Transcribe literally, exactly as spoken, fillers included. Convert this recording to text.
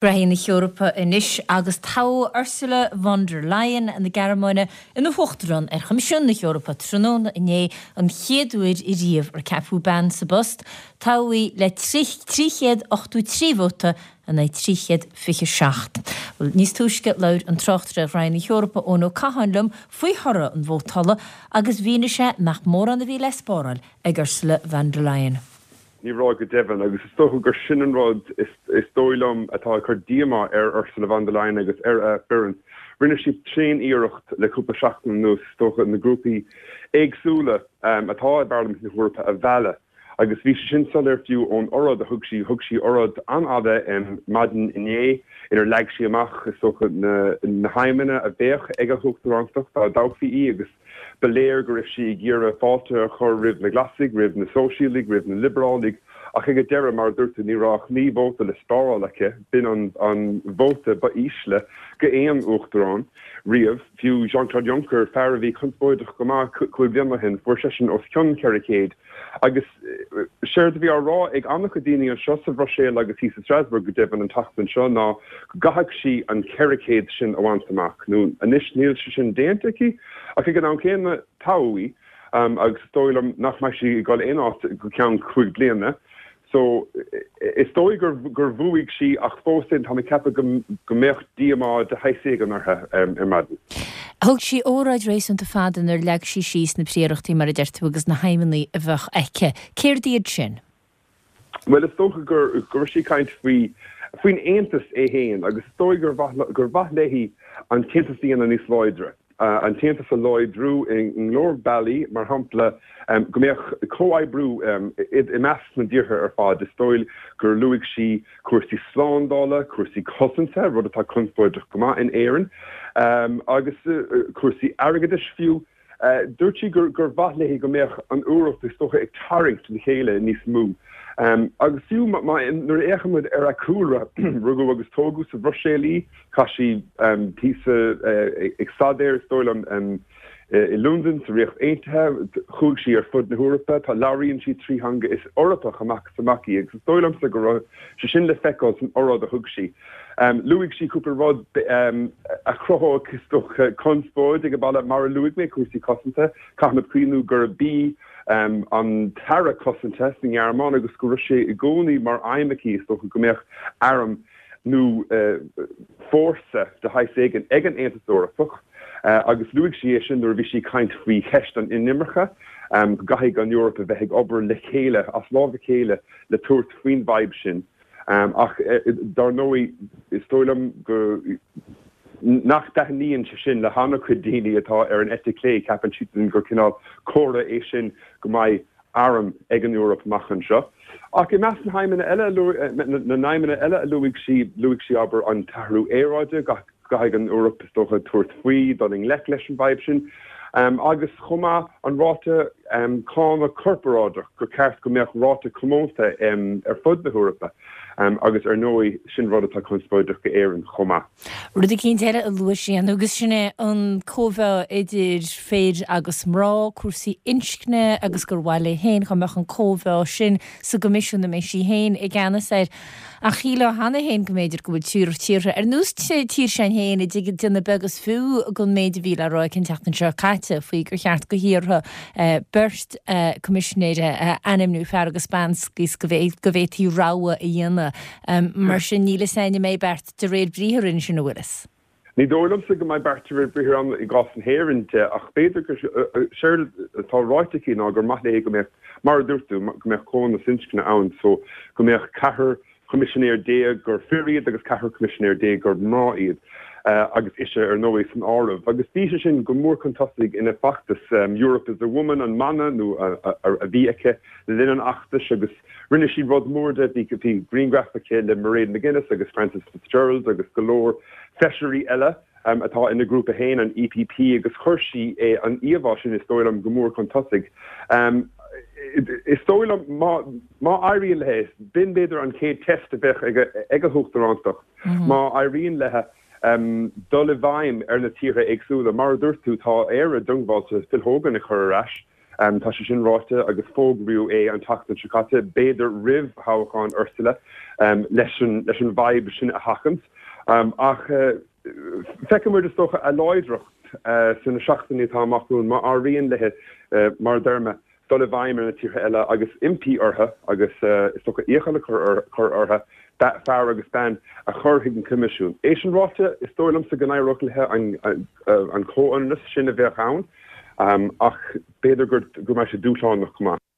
Graithí na hEorpa anois agus toghadh Ursula von der Leyen na Gearmáine ina huachtarán ar Choimisiún na hEorpa tráthnóna inné an chéad uair riamh ar ceapadh bean sa bpost, toghadh í le trí chéad ochtó trí vóta in aghaidh trí chéad fiche seacht. Níos túisce labhair an tráchtaire ar Ghraithí na hEorpa Eoin Ó Catháin liom faoi thoradh an vótála agus mhínigh sé nach mórán a bhí le spáráil ag Ursula von der Leyen. Ní raibh go deimhin agus is dócha gur sin an rud is dóigh liom atá ag cur díomá ar Ursula von der Leyen agus ar a foireann. Rinne siad tréan-iarracht le cúpla seachtain anuas is dócha na grúpaí éagsúla atá i bParlaimint na hEorpa a mhealladh agus bhí sé sin soiléir fiú ón oráid a thug sí. Thug sí oráid an-fhada maidin inné inar leag sí amach is dócha na haidhmeanna a bheadh ag a huachtarántacht dá dtoghfaí í agus Ba léir go raibh sí ag iarraidh fáilte a chur roimh na Glasaigh, roimh na Sóisialaigh, roimh na Liobrálnaigh, ach ag an deireadh, mar a dúirt tú, ní raibh ach naoi vóta le spáráil aici. B'in an vóta ba ísle go aon uachtarán riamh. Fiú Jean-Claude Juncker, fear a bhí conspóideach go maith cúig bliana ó shin, fuair seisean os cionn ceithre chéad. Agus séard a bhí á rá ag an-chuid daoine anseo sa Bhruiséil agus thíos i Strasbourg go deimhin an tseachtain seo ná go gcaithfeadh sí an ceithre chéad sin a bhaint amach. Nó anois níl sé sin déanta aici ach ag an am céanna toghadh í agus is dóigh liom nach mbeidh sí ag dul aon áit go ceann cúig bliana. So, is dóigh gur gur bhuaigh sí ach fós féin tá mé ag ceapadh go go mbeadh díomá de shaghas éigin uirthi ar maidin. Thug sí óráid réasúnta fada inar leag sí síos na príorachtaí mar a deir tú agus na haidhmeanna a bheadh aici. Céard iad sin? Bhuel is dócha gur go raibh sí ag caint faoi faoin Aontas é féin agus is dóigh gur mhaith gur mhaith léi an tAontas a dhéanamh níos láidre. an tAontas a láidriú i go leor bealaí, mar shampla go mbeadh comhoibriú i measc na dtíortha ar fad. Is dóigh gur luaigh sí cúrsaí slándála, cúrsaí cosanta, rud atá conspóideach go maith in Éirinn, agus cúrsaí airgeadais fiú. Dúirt sí gur mhaith léi go mbeadh an Eoraip, is dócha, ag tarraingt le chéile níos mó. Agus fiú nuair a fhéachann muid ar a cúlra, rugadh agus tógadh sa Bhruiséil í, chaith sí píosa ag staidéar, is dóigh liom, i Londain, sa Ríocht Aontaithe, chuaigh sí ar fud na hEorpa, tá labhraíonn sí trí theanga, is Eorpach amach is amach í agus is dóigh liomsa go raibh sé sin le feiceáil san oráid a thug sí. Luaigh sí cúpla rud a chruthódh, is dócha, conspóid ag an baile, mar a luaigh mé, cúrsaí cosanta. Caithfimid cuimhniú gurb í an tAire Cosanta sa nGearmáin agus go raibh sé i gcónaí mar aidhm aici, is dócha, go mbeadh arm nó fórsa de shaghas éigin ag an Aontas Eorpach agus luaigh sí é sin nuair a bhí sí ag caint faoi cheist an inimirce, go gcaithfidh an Eoraip a bheith ag obair le chéile, as lámh a chéile le tabhairt faoin bhfadhb sin. Ach dar ndóigh, is dóigh liom go nach dtaitníonn sé sin le han-chuid daoine atá ar an eite chlé, ceapann siadsan gur cineál comhartha é sin go mbeidh arm ag an Eoraip amach anseo. Ach i measc na haidhmeanna eile, na n-aidhmeanna eile a luaigh sí, luaigh sí, abair, an t-athrú aeráide, go gcaithfidh an Eoraip, is dócha, tabhairt faoi, dul i ngleic leis an bhfadhb sin, agus chomh maith an ráta cánach corparáideach, gur ceart go mbeadh ráta comónta ar fud na hEorpa, agus ar ndóigh, sin rud atá conspóideach go Éirinn chomh maith. Rud eicínt eile a luaigh sí, agus sin é an cóimheá idir fir agus mná, cúrsaí inscne agus gur mhaith léi féin go mbeadh an cóimheá sin sa gCoimisiún a mbeidh sí féin i gceannas air. Ach shílfeá cheana féin go mb'fhéidir go bhfuil tíortha ar nós tír s'againn féin ag déanamh beag is fiú den méid a bhí le rá aici an tseachtain seo caite faoi gur cheart do thíortha beirt Coimisinéir a ainmniú, fear agus bean, is go bhféadfaí rogha a dhéanamh. Mar sin níl fhios againn an mbeidh beart de réir briathair ansin, an bhfuil fhios. Ní dóigh liomsa go mbeidh beart de réir briathair ann i gcás na hÉireann de, ach b'fhéidir gur séard atá ráite aici ná gur maith léi go mbeadh, mar a dúirt tú, go mbeadh comhionannas inscne ann, so go mbeadh ceathrar choimisinéir déag gur fir iad agus ceathrar coimisinéir déag gur mná iad, agus ise ar ndóigh san áireamh. Agus bhí sé sin go mór chun tosaigh ina feachtas Europe is a Woman an mana nó a bhí aici le linn an fheachtais agus rinne sí rud mór de, bhí grianghraf aici le Mairead McGuinness agus Frances Fitzgerald agus go leor feisirí eile atá ina grúpa féin, an EPP, agus chuir sí an íomhá sin, is dóigh liom, go mór chun tosaigh. Is dóigh liom, má éiríonn léi, b'in b'fhéidir an chéad test a bheadh ag a huachtarántacht, má éiríonn léi dul i bhfeidhm ar na tíortha éagsúla. Mar a dúirt tú, tá Éire diongbháilte Phil Hogan a chur ar ais. Tá sé sin ráite agus fógraíodh é an tseachtain seo caite, b'fhéidir roimh thoghchán Ursula, leis an leis an bhfadhb sin a sheachaint. Ach feicfidh muid is dócha a láidreacht sna seachtainí atá amach romhainn má éiríonn léi, mar a deir mé, dul i bhfeidhm ar na tíortha eile agus impí orthu agus is dócha iachall a chur orthu fear agus bean a chur chuig an Coimisiún. É sin ráite, is dóigh liomsa go n-éireodh léi an comhionannas sin a bheadh ann ach b'fhéidir go mbeidh sé dúshlánach chomh maith.